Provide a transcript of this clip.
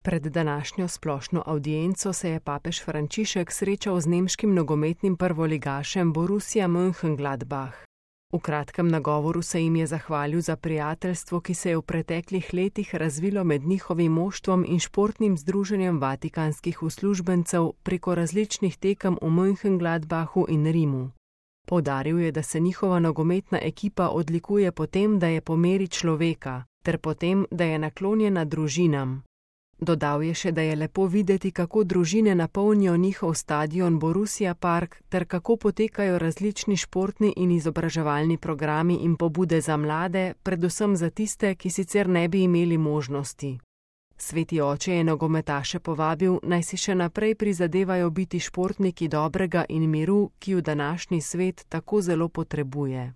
Pred današnjo splošno avdienco se je papež Frančišek srečal z nemškim nogometnim prvoligašem Borussia Mönchengladbach. V kratkem nagovoru se jim je zahvalil za prijateljstvo, ki se je v preteklih letih razvilo med njihovim moštvom in športnim združenjem vatikanskih uslužbencev preko različnih tekem v Mönchengladbachu in Rimu. Poudaril je, da se njihova nogometna ekipa odlikuje po tem, da je po meri človeka, ter po tem, da je naklonjena družinam. Dodal je še, da je lepo videti, kako družine napolnijo njihov stadion Borussia Park ter kako potekajo različni športni in izobraževalni programi in pobude za mlade, predvsem za tiste, ki sicer ne bi imeli možnosti. Sveti oče je nogometaše povabil, naj si še naprej prizadevajo biti športniki dobrega in miru, ki v današnji svet tako zelo potrebuje.